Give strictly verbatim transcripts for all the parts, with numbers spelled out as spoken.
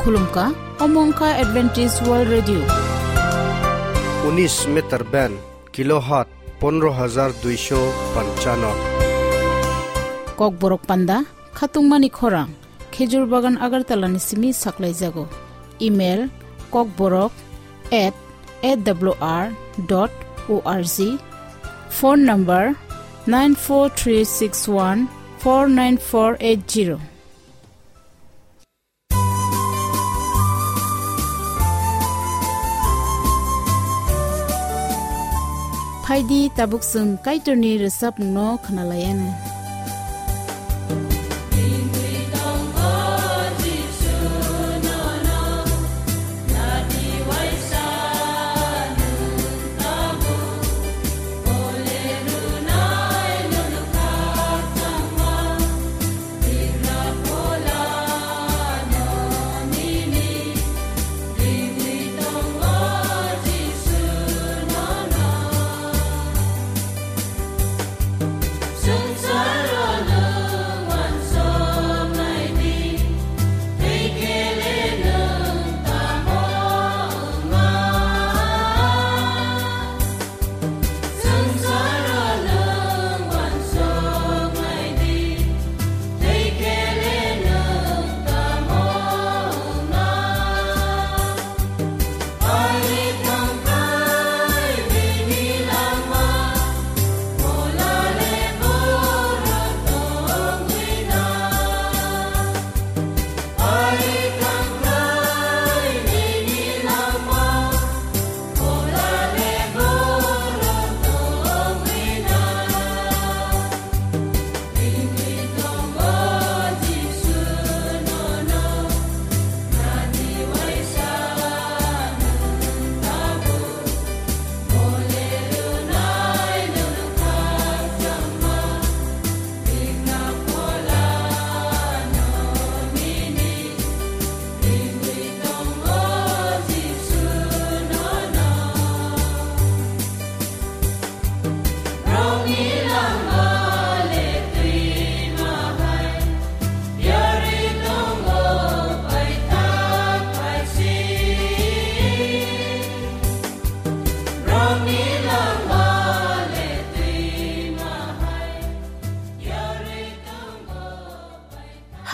Khulumkha, omo wngkha Adventist World Radio. Unis meter band, kilohertz pondro hajar duisho panchano. Kokborok panda, khatungmani khorang, Khejur Bagan Agartala ni simi saklaijago. Email, kokborok at A W R dot O R G. Phone number, nine four three six one four nine four eight zero. Phaidi tabuk chwng Kaitorni rwchapmungno khwnalaianw.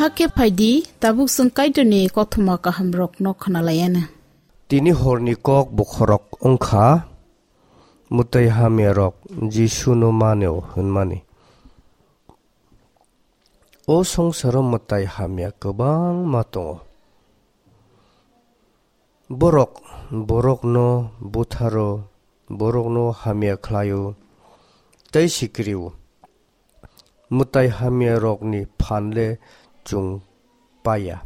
Hakhe phaidi, tabuk chwng Kaitorni kothoma kahamrokno khwnalaianw. Tini horni kok bokhorok wngkha, mwtai hamyarok Jisuno manio hwnmani. O songsaro mwtai hamya kwbangma tongo. Borok borokno butharo, borokno hamya khlaio tei sikrio. Mwtai hamyarokni phan le chwng paiya.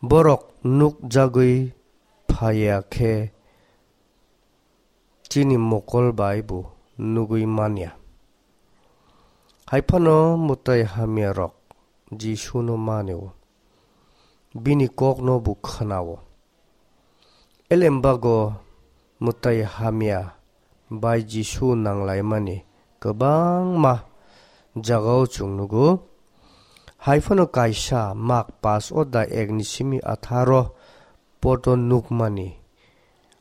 Borok nukjagwi phaiya khe chini mokol bai bo nugwi manya. Hai phano mwtai hamyarok Jisuno manio, bini kokno bo khwnao. Elembago mwtai hamya bai Jisu nanglaimani kwbangma jagao chwng nugo. Hai phano kaisa Mak pas oda ek ni simi atharo poto nukmani,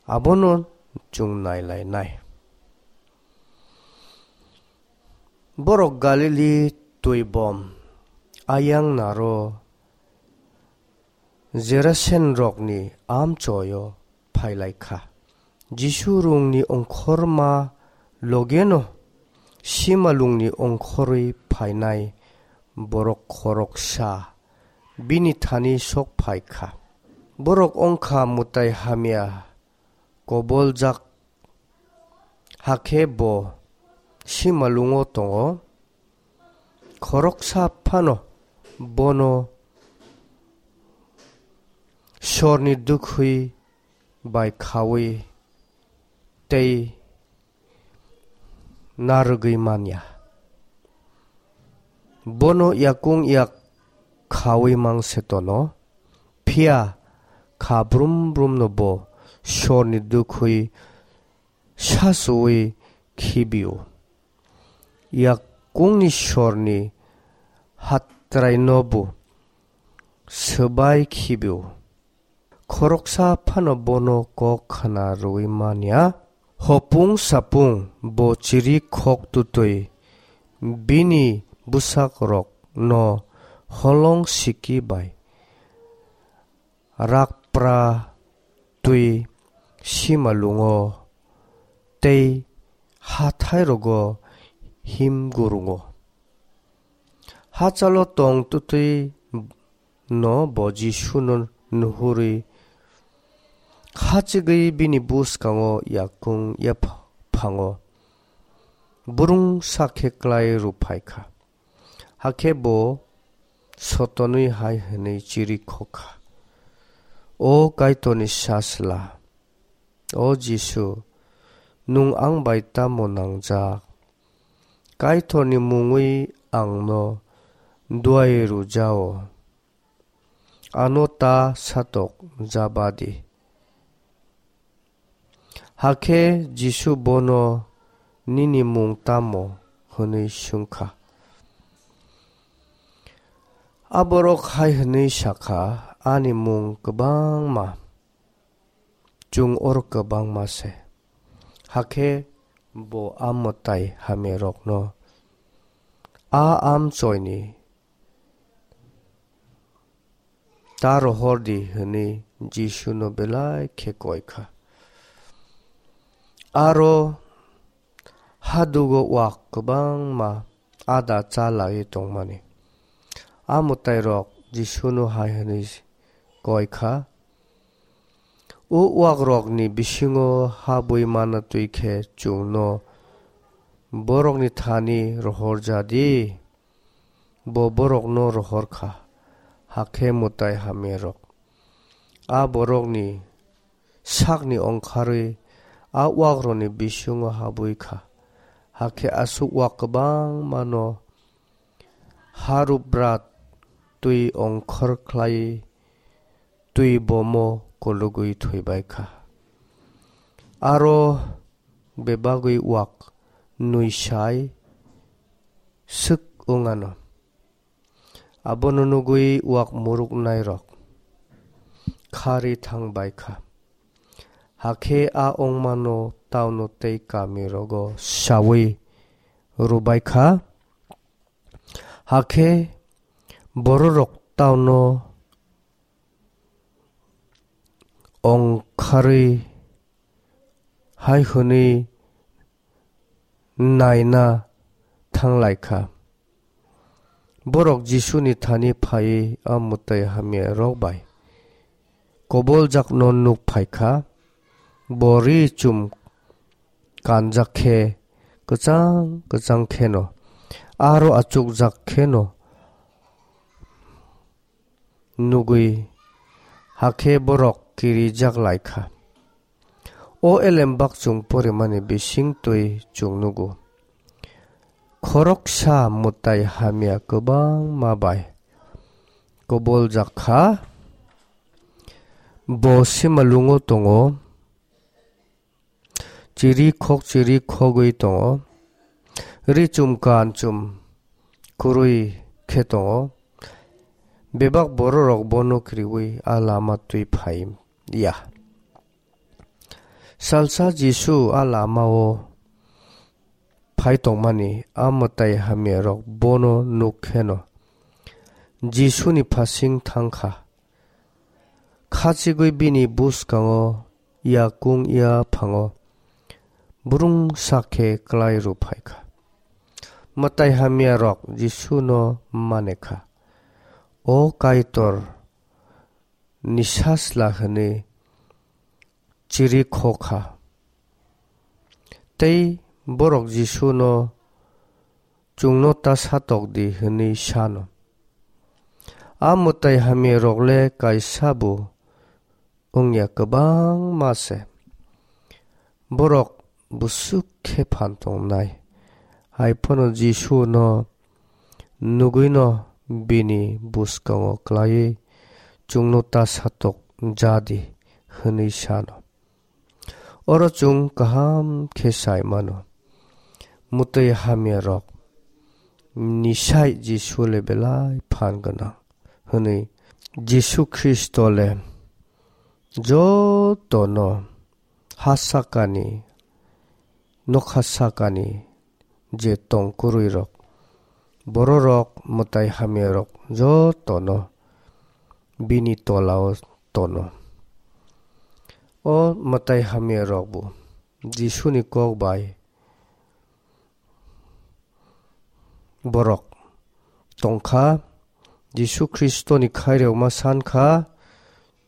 abono chwng nailainai. Borok Galili twibom ayang naro Jerasenrokni amchoio phailaikha. Jisu rungni ongkhorma logeno simalungni ongkhorwi phainai borok khoroksa bini thani sok phaikha. Borok wngkha mwtai hamya koboljak, hakhe bo simalungo tongo. Khoroksa phano bono sorni dukhwi bai khaui tei narwgwi manya. Bono yakung yak khaui mang se tono, phiya kha brum brumno bo sorni dukhwi sachuwi khibio. Yakungni sorni hatraino bo swbai khibi-o. Khoroksa phano bono kok khna rwui man ya. Hopung sapung bo chiri khok tutui bini bwsakrokno holong siki bai rakpra twi simalungo tei hathairogo him gurungo. Hachalo tong tutwi no bo Jisuno nuhurwi khachigwi bini bwskango yakung yaphango burung sakhe klai rwphaikha. Hakhe bo sotonwi hai hwnwi chiri khokha, "O Kaitorni Sajla, o Jisu, nwng ang bai tamo nangjak? Kaitorni mungwi angno duai rwjao, ano ta satok jaba di." Hakhe Jisu bono, "Nini mung tamo?" hwnwi swngkha. A borok hai hwnwi sakha, "Ani mung kwbangma, chwng oro kwbangma se." Hakhe bo a mwtai hamyarokno, "A amchoini ta rohor di," hwnwi Jisuno belai khe koi kha. Aro hadugo wak kwbangma ada cha laiwi tongmani. A mwtairok Jisuno hai hwnwi koi kha, "O wakrokni bisingo habwi mana twi khe chwngno borokni thani rohor ja di." Bo borokno rohor kha, hakhe mwtai hamyarok a borokni sakni ongkharwi a wakrokni bisingo habwi kha. Hakhe aswk wak kwbangmano harubrat twi ongkhor khlai twi bomo kologwi thwibai kha. Aro bebagwi wak nwi sai swk wng anw. Abono nugwi wak muruknairok kharwi thang bai kha. Hakhe a wngmano tauno tei kamirogo saui rwbai kha. Hakhe bororok tauno ongkharwi hai hwnwi naina thang lai kha. Borok Jisuni thani phaiwi a mwtai hamyarok bai koboljakno nuk phai kha. Bo ri chum kanjak khe kwchang kwchang kheno, aro achukjak kheno nugwi, hakhe borok kirijak lai kha. O elem bakchung porimani bising twi chwng nugo. Khoroksa mwtai hamya kwbangma bai koboljak kha. Bo simalungo tongo. Chiri khok chiri khogwi tongo. Ri chum kan chum kwrwi khe tongo. Bebak bororok bono kriwi a lama twi phai ya. Salsa Jisu a lamao phai tongmani a mwtai hamyarok bono nuk kheno Jisuni phasing thang kha. Khachigwi bini bwskango yakung yaphango burungsa khe klai rw phai kha. Mwtai hamyarok Jisuno mane kha, "O Kaitor, ni sajla," hwnwi chiri kho kha. Tei borok Jisuno, "Chwngno ta satok di," hwnwi sano. A mwtai hamyarok le kaisa bo wngya, kwbangma se. Borok bwswk khe phan tongnai. Hai phano Jisuno nugwino bini bwskango klaiwi, "Chwngno ta satok ja di," hwnwi sano. Oro chwng kaham khe sai mano, mwtwi hamyarok ni sai Jisu le belai phan gwnang hwnwi Jisu Khristo le jotono ha sakani, nokha sakani je tongkurui rok, bororok mwtai hamya rok jotono bini tolao tono. O mwtai hamya rok bo Jisuni kok bai borok tongkha. Jisu Khristoni khairokma sankha,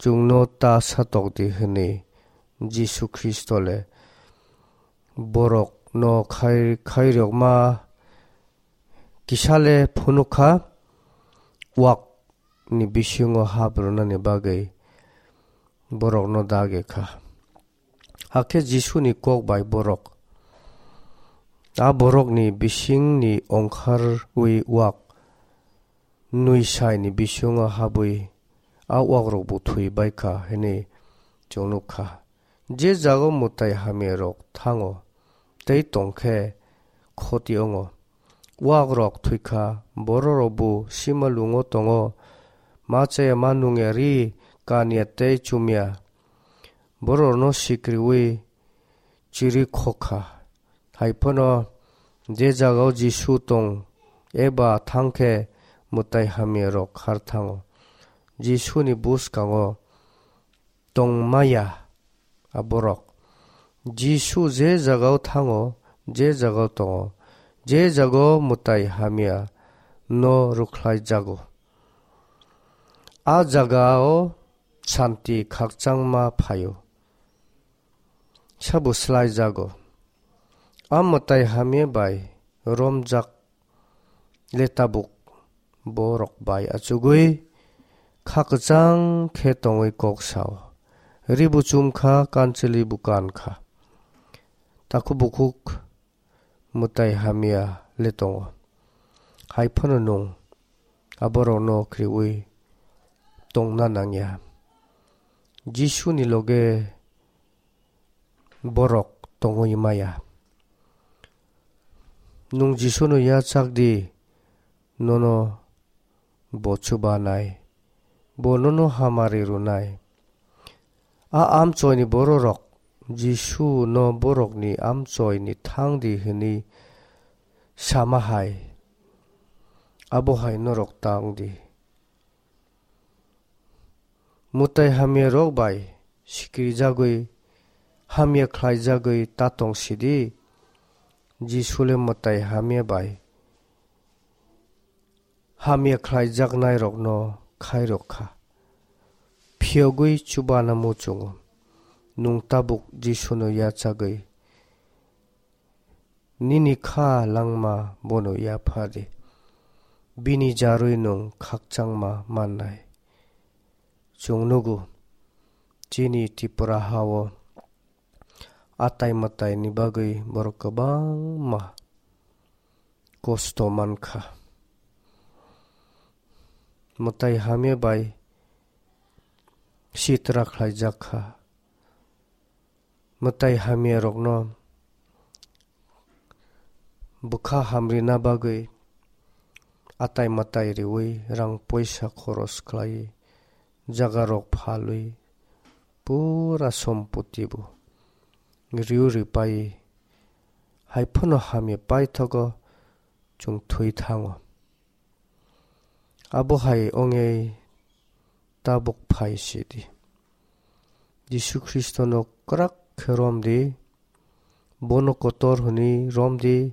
"Chwngno ta satok di," hwnwi. Jisu Khristo le borokno khai-, khairokma kisa le phunukha, wak ni bisingo hap rwnani bagwi borokno dagi kha. Hakhe Jisuni kok bai borok a borokni bisingni ongkharwi wak nwi saini bisingo habwi a wakrokbo thwi bai kha hwnwi chwng nuk kha. Je jaga mwtai hamyarok thango tei tong khe khoti wngo, wakrok thwi kha, bororokbo simalungo tongo, ma chaya ma nungya, ri kanya tei chumya, bororokno sikriwi chirwi khok kha. Hai phano je jagao Jisu tong eba thang khe mwtai hamyarok khar thango. Jisuni bwskango tongmaya a borok. Jisu je jagao thango, je jagao tongo, je jagao mwtai hamya no rwkhlai jago, a jagao santi khakchangma phaio, sabo slai jago. A mwtai hamya bai romjak le tabuk borok bai achugwi kha kwchang khe tongwi kok sao. Ri bo chum kha, kanchwlwi bo kan kha. Takhuk bukhuk mwtai hamya le tongo. Hai phano nwng a borokno khriwi tongna nangya. Jisuni loge borok tongwi maya. Nwng Jisuno yachak di, nono bo chubanai, bo nono hamari rwnai. A amchoini bororok Jisu no borokni amchoini thang di hwnwi sama hai, abo hai norok tang di. Mwtai hamya rok bai sikiri jagwi, hamya khlai jagwi ta tong sidi. Jisu le mwtai hamya bai hamya khlai jaknai rokno khai rok kha. Phiyogwi chubana muchungo. Nwng tabuk Jisuno yachagwi nini kha langma bono yapha di. Bini jarwi nwng khakchangma mannai. Chwng nugo, chini Tripura hao atai mwtai ni bagwi borok kwbangma kosto mankha. Mwtai hamya bai sitra khlaijak kha. Mwtai hamya rokno bwkha hamrina bagwi atai mwtai riwi rang poisa khoros khlai, jaga rok phalwi pura sompoti bo riu ripai, hai phano hamya paithogo chwng thwi thango. Abo hai ongwi tabuk phai sidi. Jisu Khristono kwrak khe rom di, bono kotor hwnwi rom di,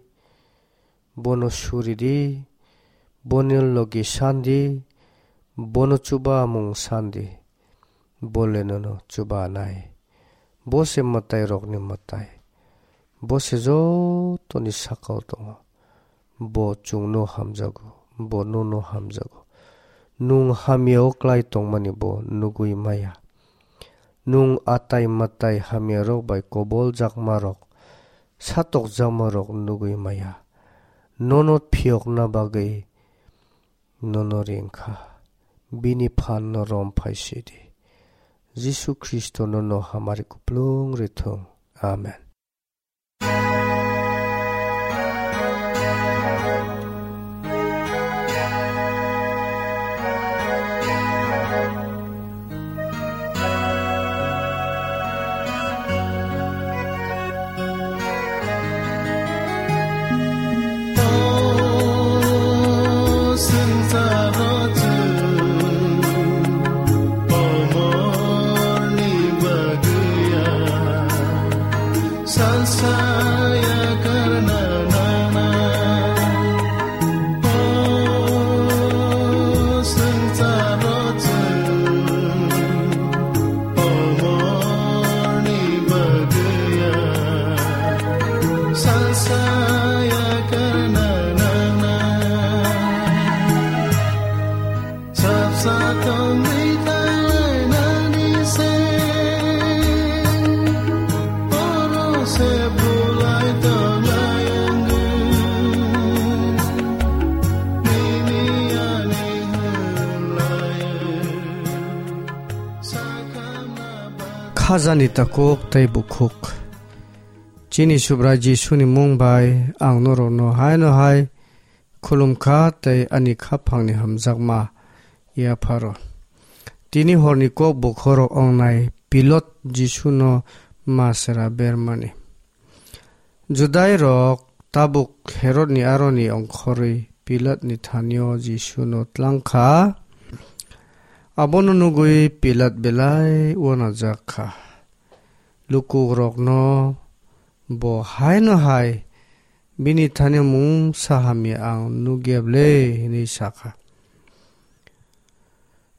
bono suri di, bono logi san di, bono chubamung san di. Bo le nono chubanai. Bo se mwtai rokni mwtai. Bo se jotoni sakao tongo. Bo chwngno hamjago, bo nono hamjago. Nwng hamyao klai tongmani bo nugwi maya. Nwng atai mwtai hamyarok bai koboljakmarok, satokjakmarok nugwi maya. Nono phiyokna bagwi nono ring kha. Bini phanno rom phai sidi. Jisu Khristo nono hamari kuplung rithung. Amen. Saya karna nana, o swngcharo chwng, pomorni bagwi ya. Sa saya karna nana. Sapsa tongwi tanglainani se, oro se bulai tonglai wngwi, nini ani hwnlai sakhamna ba- Khajani takhuk tei bukhuk. Chini Subrai Jisuni mung bai ang norokno haino hai khulum kha tei ani khaphangni hamjakma yapharo. Tini horni kok bokhorok ongnai Pilot Jisuno masra bermani. Judairok tabuk Herodni aroni ongkhorwi Pilatni thanio Jisuno tlang kha. Abono nugwi Pilat belai uanajak kha. Lukurokno bo haino hai bini thani mungsa hamya ang nukya ble, hwnwi sa kha.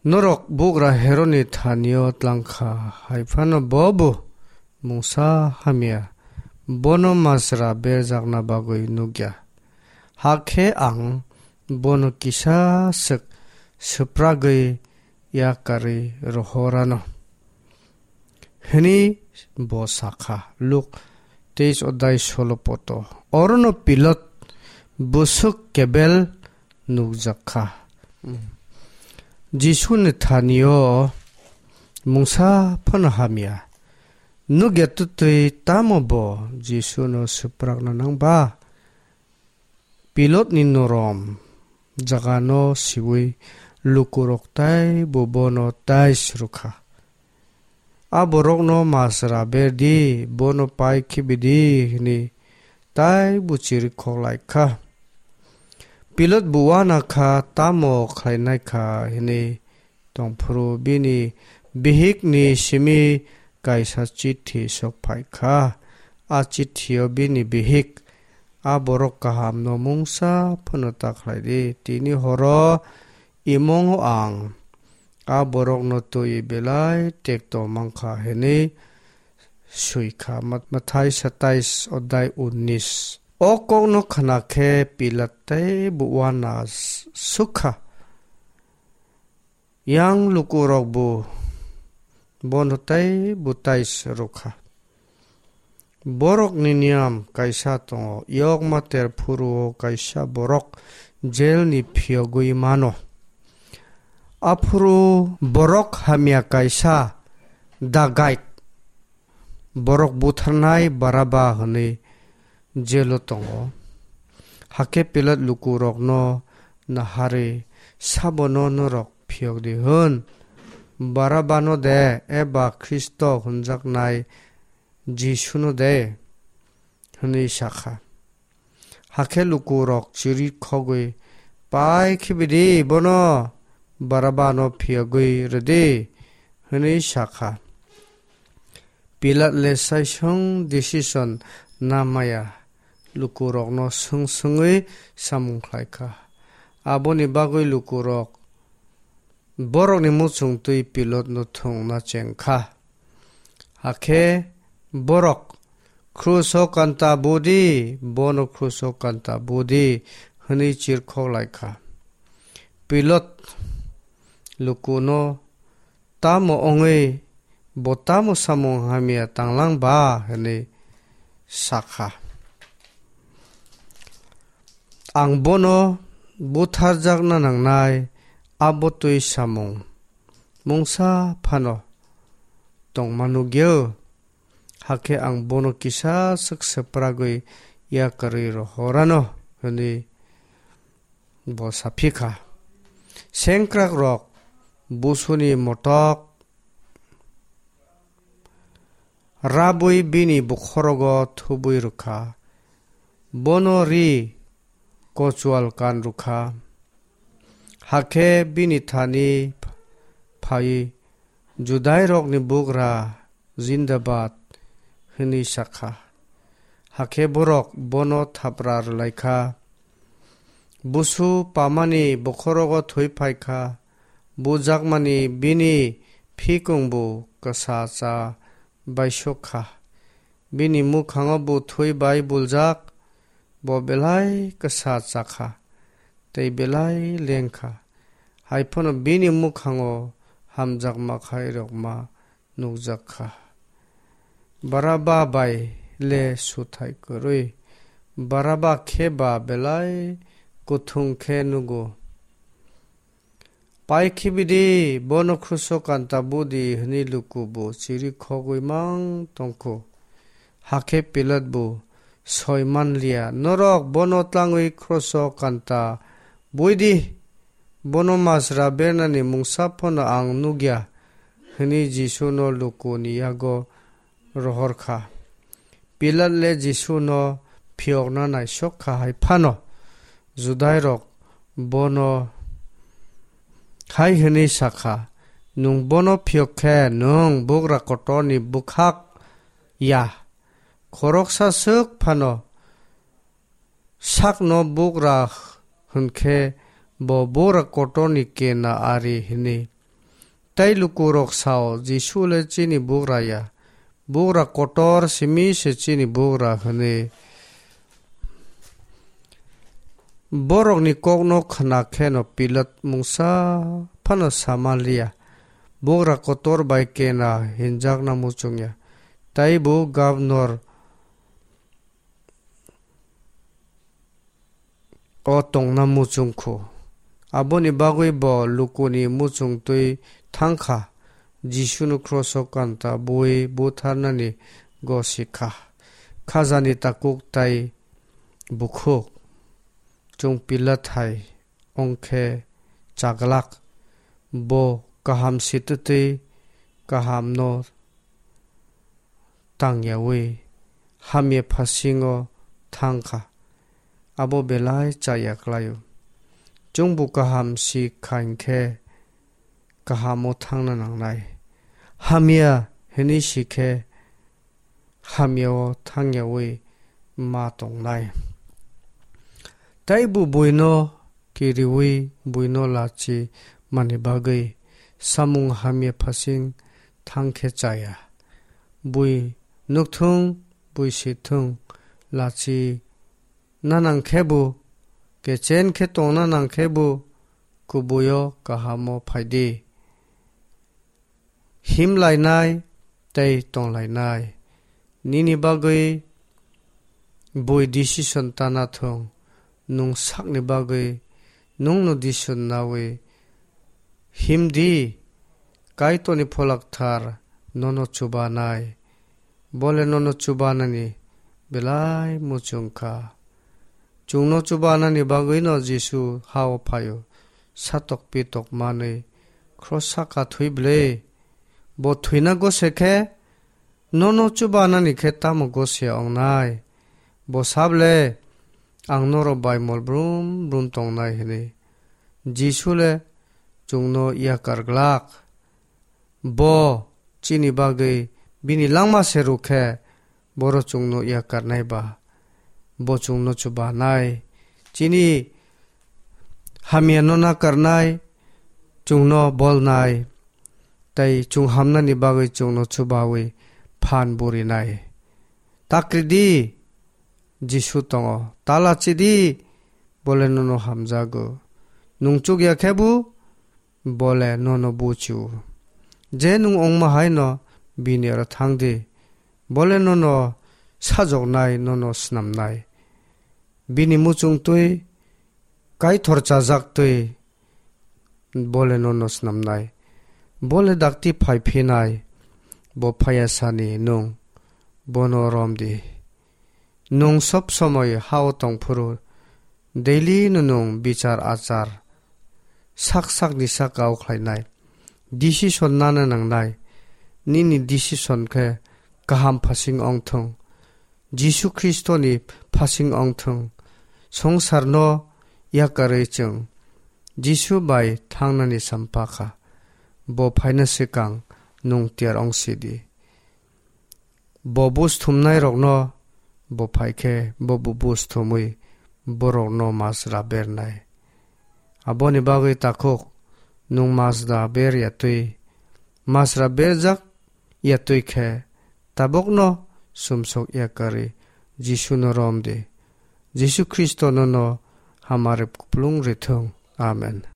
Norok bugra Herodni thanio tlang kha, hai phano bo bo mungsa hamya bono masra berjakna bagwi nukya. Hakhe ang bono kisa swk swpragwi yakarwi rohorano. Hwnwi bo sa kha, Luk teis odai solo poto. Orono Pilot bwswk kebel nukjak kha. Jisuni thanio mungsa phano hamya. Nukya twtwi tamo bo Jisuno swprakna nang ba? Pilotni norom jagano siui lukurok taibo bono tais rw kha. A borokno masra ber di, bono pai khibi di, hwnwi taibo chirikhok lai kha. Pilot bo uana kha, tamo khlainai kha hwnwi tongphuru bini bihikni simi kaisa chithi sok phai kha. A chithio bini bihik, "A borok kahamno mungsa phano ta khlai di. Tini horo imongo ang a borokno twi belai tekto mankha," hwnwi swi kha. Mat-, Mathai satais odai unnis. O kokno khna khe Pilat teibo uana s-, suk kha. Yang lukurok bo bono teibo tais rw kha. Borokni niyam kaisa tongo, yokma ter phuru-o kaisa borok jelni phiyogwi mano. Aphuru borok hamya kaisa dagait borok butharnai Baraba hwnwi jelo tongo. Hakhe Pilat lukurokno naharwi, "Sabono norok phiyok di hwn? Barabano de eba Khristo hwnjaknai Jisuno de?" hwnwi sa kha. Hakhe lukurok chirikhogwi, "Pai khibi di bono, Barabano phiyogwi rw di," hwnwi sa kha. Pilat le saisong decision na maya, lukurokno swng swngwi samung khlai kha. Aboni bagwi lukurok borokni muchung twi Pilatno thwngna cheng kha. Hakhe borok, "Kruso kanta bu di, bono kruso kanta bu di," hwnwi chirkhok lai kha. Pilat lukuno, "Tamo wngwi bo tamo samung hamya tanglang ba?" hwnwi sa kha. "Ang bono butharjakna nangnai, abo twi samung mungsa phano tongma nukya, hakhe ang bono kisa swk swpragwi yakarwi rohorano," hwnwi bo saphi kha. Sengkrakrok busuni motok rabwi bini bokhorogo thubwi rw kha. Bono ri kochual kan rw kha. Hakhe bini thani phaiwi, "Judairokni bugra, Jindabad," hwnwi sa kha. Hakhe borok bono thapra rwlai kha. Busu pamani bokhorogo thwi phai kha. Bujakmani bini phikungbu kwsa cha baisok kha. Bini mukhango bu thwi bai buljak, bo belai kwsa cha kha, tei belai leng kha. Hai phano bini mukhango hamjakma khairokma nukjak kha. Baraba bai le suthai kwrwi, Baraba khe ba belai kuthung khe nugo. Pai khibidi, bono kruso kanta budi, hwnwi luku bo chirikhogwi mang tongkhu. Hakhe Pilat bo soi manliya, norok bono tlangwi kruso kanta buidi, bono masra bernani mungsa phano ang nukya, hwnwi Jisuno lukuni yago rohor kha. Pilat le Jisuno phiyokna naisok kha hai phano, Judairok bono hai hwnwi sa kha, "Nwng bono phiyok khe nwng bugra kotorni bwkhak ya, khoroksa swk phano sakno bugra hwn khe bo bugra kotorni kena ari," hwnwi. Tei lukurok sao, "Jisu le chini bugra ya, bugra kotor simi se chini bugra," hwnwi. Borokni kokno khna kheno Pilat mungsa phano sa manliya, bugra kotor bai kena hinjakna muchungya, tei bo gabnor o tongna muchung kho. Aboni bagwi bo lukuni muchung twi thang kha, Jisuno kroso kanta bui butharnani gosi kha. Khajani takuk tai bukhuk. Chwng Pilat hai wng khe chaglak, bo kaham si twtwi kahamno tangyaui hamya phasingo thang kha, abo belai chaya klai-o. Chwngbo kaham si kha hinkhe kahamo thangna nangnai, hamya hwnwi si khe hamyao thangyaui ma tongnai. Tei bo buino kiriui buino lachi mani bagwi samung hamya phasing thang khe chaya. Bui nukthung, bui sithung, lachi na nang khe bo, kechen khe tongna nang khe bo, kubuio kahamo phaidi. Him lainai tei tong lainai. Nini bagwi bui decision ta na thung, nwng sakni bagwi nwngno decision naui him di, Kaitorni Pholakthar nono chubanai. Bole nono chubanani belai muchung kha. Chwngno chubanani bagwino Jisu ha-o phai-o, satok pitok manwi, "Khro saka thwi ble? Bo thwina gose khe, nono chubanani khe tamo gose wngnai? Bo sable, 'Ang norok bai mol brum brum tongnai,' hwnwi." Jisu le chwngno yakar glak. Bo chini bagwi bini langma se rw khe, boro chwngno yakarnai ba, bo chwngno chubanai. Chini hamyano nakarnai, chwngno bolnai, tei chwng hamnani bagwi chwngno chubaui phan burinai. Ta kri di, Jisu tongo, ta lachi di, bole nono hamjago. Nwng chukya khe bo, bole nono buchu. Je nwng ongma hai no bini aro thang di. Bole nono sajoknai, nono snamnai. Bini muchung twi, Kaitor chajak twi, bole nono snamnai. Bole dakti phai phinai, bo phaiya sani nwng bono rom di. Nwng sob somoi ha-o tong phuru, daily no nwng bichar achar sak sakni saka o khlainai. Decision nana nangnai. Nini decision khe kaham phasing ong thung, Jisu Khristoni phasing ong thung. Songsarno yakarwi chwng Jisu bai thangnani sampha kha. Bo phaina swkang nwng tiyar ong si di. Bo buj thumnairokno bo phai khe bo bubuj thumwi borokno masra bernai. Aboni bagwi takhuk nwng masra ber ya twi, masra berjak ya twi khe tabukno sumsok ya karwi Jisuno rom di. Jisu Khristo nono hamari kupulung rithung. Amen.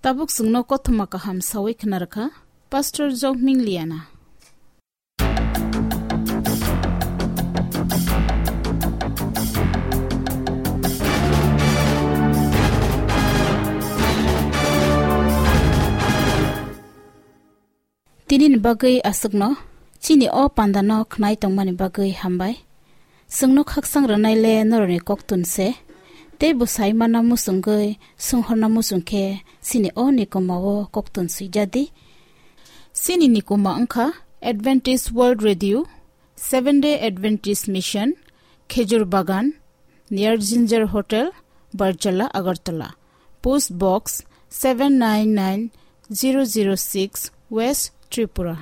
Tabuk chwngno kothoma kaham sawi khna rwkha Pastor Jokming Liana. Tinini bagwi aswkno, chini o pandano khnai tongmani bagwi hambai. Chwngno khaksang rwnai le norokni koktun se, tei bwsai mana muchungwi, swnghorna muchung khe chini o nikoma o koktun swijadi. Chini nikoma wngkha Adventist World Radio, Seventh Day Adventist Mission, Khejur Bagan, near Ginger Hotel, Barjala, Agartala. Post Box seven nine nine zero zero six, West Tripura.